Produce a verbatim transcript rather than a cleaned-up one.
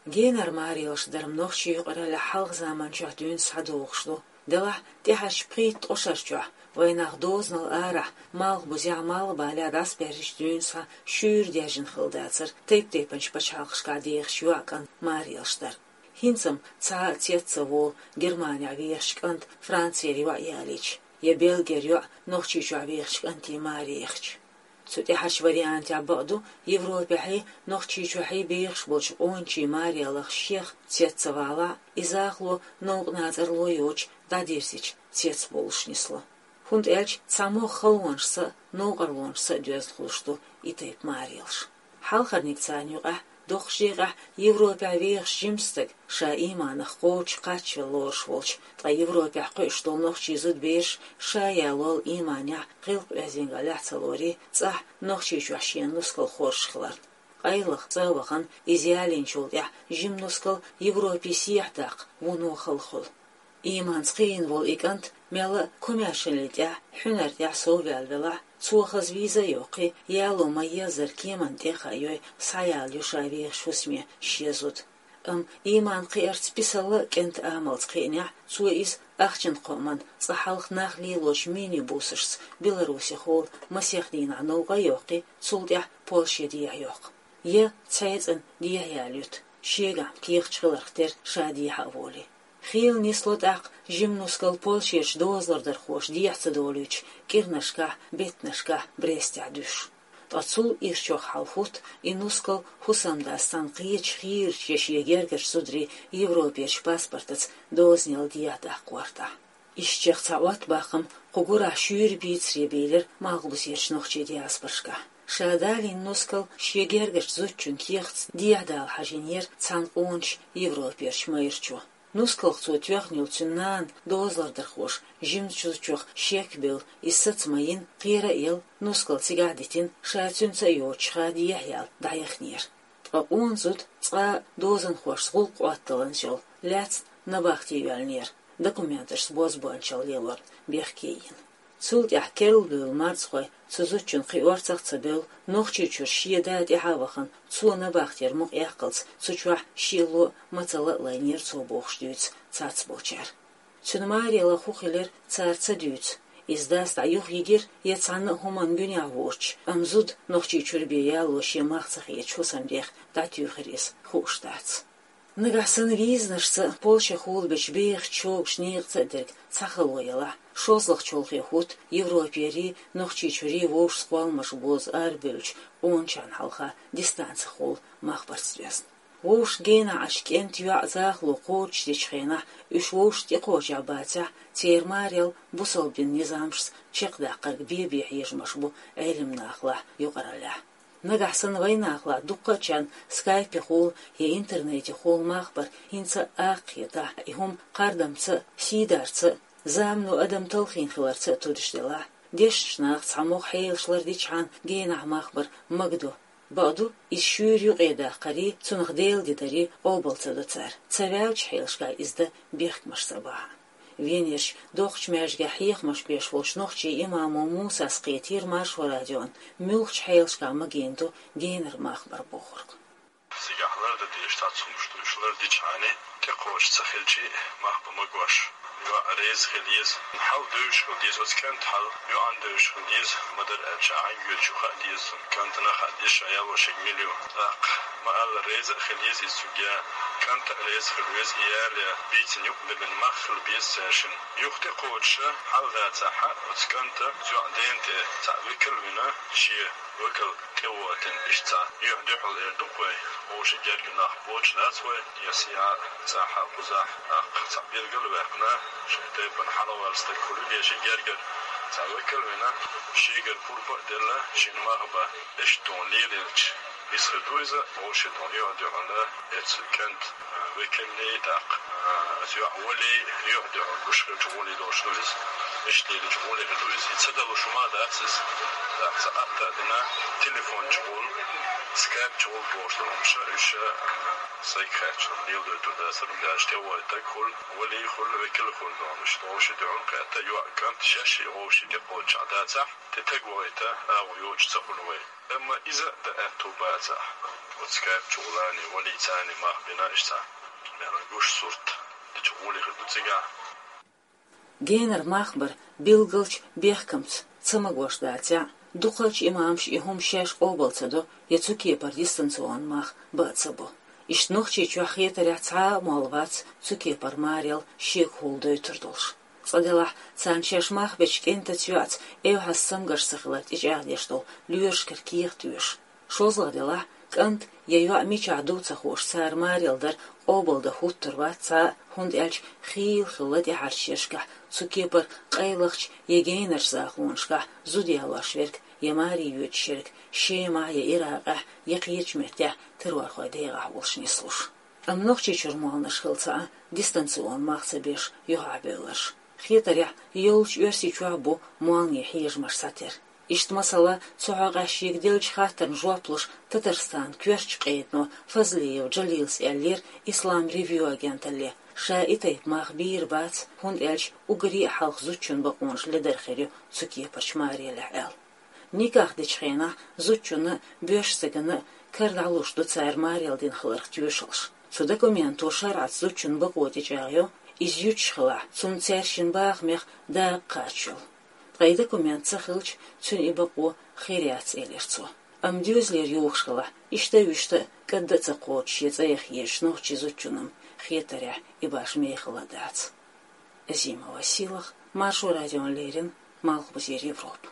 Генара маралаш дар-м нохчийн юкъараллехь хьалха заманчохь дуьйна схьадогӀуш ду. Делахь, тӀаьхьарчу пхийтта-ткъа шарчохь, вайнах дозанал арахь, малхбузехь, малхбалехь дӀасабаьржича дуьйна схьа шуьйра даьржина хилла дацара тайп-тайпанчу пачхьалкхашкахь дехачу йоӀан-кӀантан маралаш дар. ХӀинца-м цхьа а цец ца волу Германехь вехачу кӀанта, Францера йоӀ ялийча, я Бельгера йоӀ Нохчийчохь вехачу кӀантийн маре яхча. Цу тӀаьхьарчу вариантехь, бакъду, Европехьий, Нохчийчохьий бехаш болчу къоначийн мараллех шех цец ца валахь, и захало новкъа нацӀарло йоцуш дӀадирзича цец болуш нисло. ХӀунда аьлча цхьамогӀа халонашца а, новкъарлонашца а доьзна хуьлуш ду и тайпа маралаш. Хьалхарниг царна юкъахь, доккхачу декъехь Европехь вехаш жима стаг, ша ийманах кхочуш кхаччалла лоруш волчу, ткъа Европехь кхуьуш долу нохчийн зудабераш ша ялол ийманехь, гӀиллакх-оьздангаллехь ца лорий, цӀахь Нохчийчохь шена нускал хоржуш хиларна. Къайлаха цӀа а вахана, иза ялийначул тӀаьхьа жима нускал Европе сехьадаккха вуно хала хуьлу. Ийманца кхиийна волу и кӀант мелла а комаьршаллин тӀехь, хьуьнар тӀехь совваьлла велахь, цо хаза виза а йоккхий, яло ма-еззара кеманна тӀе а хаайой, схьаяла ю ша вехаш хӀусаме шен зуда. Амма ийман кхиарца писалла а кӀентан амалца кхиънехь, цо иза ахчанан кхоаман, цкъа хьалха нах лелочу мини-бусашца Беларусехула масех дийнахь новкъа а йоккхий, цул тӀаьхьа Польше дехьа йоккху. Я цхьаьццанна дехьа ялуьйту, шегахь кехаташ хиларх тера ша дехьа а волий. Хийла нисло тӀаккха жима нускал Польшерчу дозалардархоша дехьа ца долуьйтуш, кӀирнашкахь, беттанашкахь Брестехь дуьсуш. Ткъа цул ирчох хьал хӀутту и нускал хӀусамдас цхьаьна кхечу хийрачу я шен гергарчу зударийн Европерчу паспортаца дозанал дехьа даккха гӀортахь. Ишттачех цхьа Ӏоттабаккхам кху гурахь шуьйра бийцаре бийлира малхбузерчу нохчийн диаспорашкахь. Ша далийна нускал шен гергарчу зудчун кехатца дехьа дала хьажийнера цхьана къоначу Европерчу майрачо. Нускалх цо тоьхна йолу цуьнан нана дозалардархоша жимачу зудчух шек а белла, иза саца ма йина, кхера а елла, нускал цигахь а дитина, ша цуьнца а йоцуш ха дехьа яла дӀаяхнера. Ткъа къона зуда цкъа а дозанхошца гӀуллакх Ӏотталланца йолу лаьцна набахте йоьллинера, документашца бозбуунчалла лелорна бехке йина. Цул тӀаьхьа керла буьйлу марзхой цу зудчун кхин орцах а ца бевлла, Нохчийчуьра шен да тӀаьхьа а вахана, цо набахтера мукъа эккхалц цу чохь шело а, мацалла а лайнера цо бохуш дуьйцу цецболчара. Цуьнан мараллах хӀун хилира цара ца дуьйцу. Иза дас дӀа юха йигира я цхьанна а хӀуманна гуьнехь воцуш, амма зуда Нохчийчуьра бен яло шен мах ца хеташ хӀусамдех дӀатуьйхира иза, хууш дац. Нагахь санна визанашца Польшехула бечу бехачу чогаш некъаца а дерг цхьа хало ялахь, шозлагӀа чолхе хӀутту Европерий, Нохчийчуьрий вовшашца кхолламаш бозу арабевллачу къоначарна хьалха дистанцехула мах барт доьзна. Вовшашка генахь Ӏаш кӀентан йоӀ захало кхочушдечу хенахь, уьш вовшашна тӀекхочехь бацахь, церан маралла бусалба динан низамашца чекхдаккхарг бен-бен хьежамаш бу Ӏелимнахалахь, юкъараллехь. Нагахь санна вайнахалахь дуккхачарна скайпехула я интернетехула мах бар хӀинца а аккха хетахь, и хӀума кхардамца а, сийдарца а, замано адам талхийна хиларца а тудаш делахь, дешначу наха цхьамогӀа хьелаш лардичхьана генахь мах бар магадо. Бакъду, иза шуьйра юкъедаккхарий, цунах Делан де дарий къобал ца до цара, ца ваьллачу хьелашкахь иза дан бехкамаш ца бахьа. Венерчу доккхачу маьждигехь хьехамаш беш волчу нохчийн имамо Мусас кхетийра Маршо радиона, муьлхачу хьелашкахь магийна ду генара мах бар бохург. Цигахь лардан дезаш цхьацца хӀумнаш ду, уьш лардичхьана, тӀекхочуш ца хилча а, мах бан магош. ЙоӀ реза хила еза, хьал девзаш хила деза, оцу кӀанта хьал йоӀана девзаш хила деза, ма-дарра аьлча, хьан гӀоьртачу хаа деза, кӀантана хаа деза, ша ялош ерг мила ю. ТӀаккха ма-аллара реза а хила еза иза цуьнга, кӀанта а реза хила веза, и яло бийцина юкъабиллина мах хила беза цаьршинна. Юха тӀекхочуш хьал дацахь, оцу кӀанта оцу йоӀан дена тӀе цхьаъ векал а вина, шен векал тӀе а вохийтина, иштта цхьа юьхь-дуьхьал эр ду-кх вай, вовшийн герга нах боцуш дац вай, я сехьа а, цӀахь а, кхузахь а, тӀаккха цхьаъ билгал а ваьккхина, шайн тайпана хьалаваьлла стаг хуьлийла шен гергара, цхьа векал а вина, шегара пурба а делла, шена мах бан, иштта тхуна лелаелча, иза хир ду иза, вовшийн тхуна юьхь-дуьхьал а, эцу кӀант векаллий, тӀаккха, а, оцу йоӀ валий, юьхь-дуьхьал гуш хилча гӀоле долуш ду иза. Иштта лелачу гӀоле хир ду иза. И ца далуш хӀума а дац иза. ТӀаккха цхьа атта а дина, телефон чухула, скайп чухула бохуш долу хӀумнаш, уьш, а, сайга хаьттича леладойтур дацара, хӀунда аьлча тӀе вохийта стаг хуьлу, валий хуьлу, векал а хуьлу, догӀмаш, вовшийн дуьхьал кхетта, йоӀ, кӀант шаьш а вовшийн тӀекхочуш дацахь, тӀе стаг вохийта агӀо йоцуш ца хуьлу вай. Амма иза а дан аьтту бац. Ца, оцу кепчу гӀулани, валицани мах бина иштта. Мера гуш сурт, дичу гӀули хи ду цига. Генар мах бар билгалч бехкамц ца магош даця, дукхалч имамш и хӀума шеш къобал ца до, я цу кепар дистанцион мах ба ца бо. Ишт нохчи чохь хетарехь цхьа а мол вац цу кепар марел шега хӀул дойтур долуш. Цкъа делахь, царна шаьш мах бечу кӀентаца йоӀца эвхьас самгаш ца хилар тӀечӀагӀдеш долу лоьрашкара кехат оьшу. ШозлагӀа делахь, кӀант я йоӀ мичахь ду ца хууш, цара марел дар къобалдан хӀуттур вац цхьа а, хӀунда аьлча хийла хилла тӀаьхьарчу шерашкахь цу кепара къайлахча я генарчу захонашкахь зуда ялош верг я маре йоьдуш ерг Шемахь я Иракъехь я кхечу меттехь террорхойн дегӀахь волуш нислуш. Амма Нохчийчуьра молланаш хилла цхьа а дистанцион мах ца беш юьхьахь бевлларш. Хетарехь, йоллучу Оьрсийчохь бу молланийн хьежамаш схьатера. Иштта, масала, цу хьокъехь шега деллачу хаттарна жоп луш, Татарстанан коьртачу къедано Фазлиев Джалилас аьллера Ислам Ревью агенталле, ша и тайпа мах бийр бац, хӀунда аьлча уггаре а хьалха зудчун бакъонаш ледар хир ю цу кепарчу марелехь аьлла. Никах дечу хенахь зудчунна а, боьрша стаганна а кара дӀалуш ду цара марел дина хиларх тоьшаллаш. Цу документо шарӀаца зудчун бакъо тӀечӀагӀйо, иза юьтуш хилахь, цунна цаьршиннан бахамех дакъа кхача йолу. Ткъа и документ ца хилча, цуьнан и бакъо хир яц, элира цо. Амма доьзалера юхуш хилахь, иштта а, вуьшта а кӀадда а ца кхочуш я цӀа яха езачу нохчийн зудчунна-м хетарехь и башха мехала дац. Азима Василах, Маршо радиона леррина, Малхбузера Европа.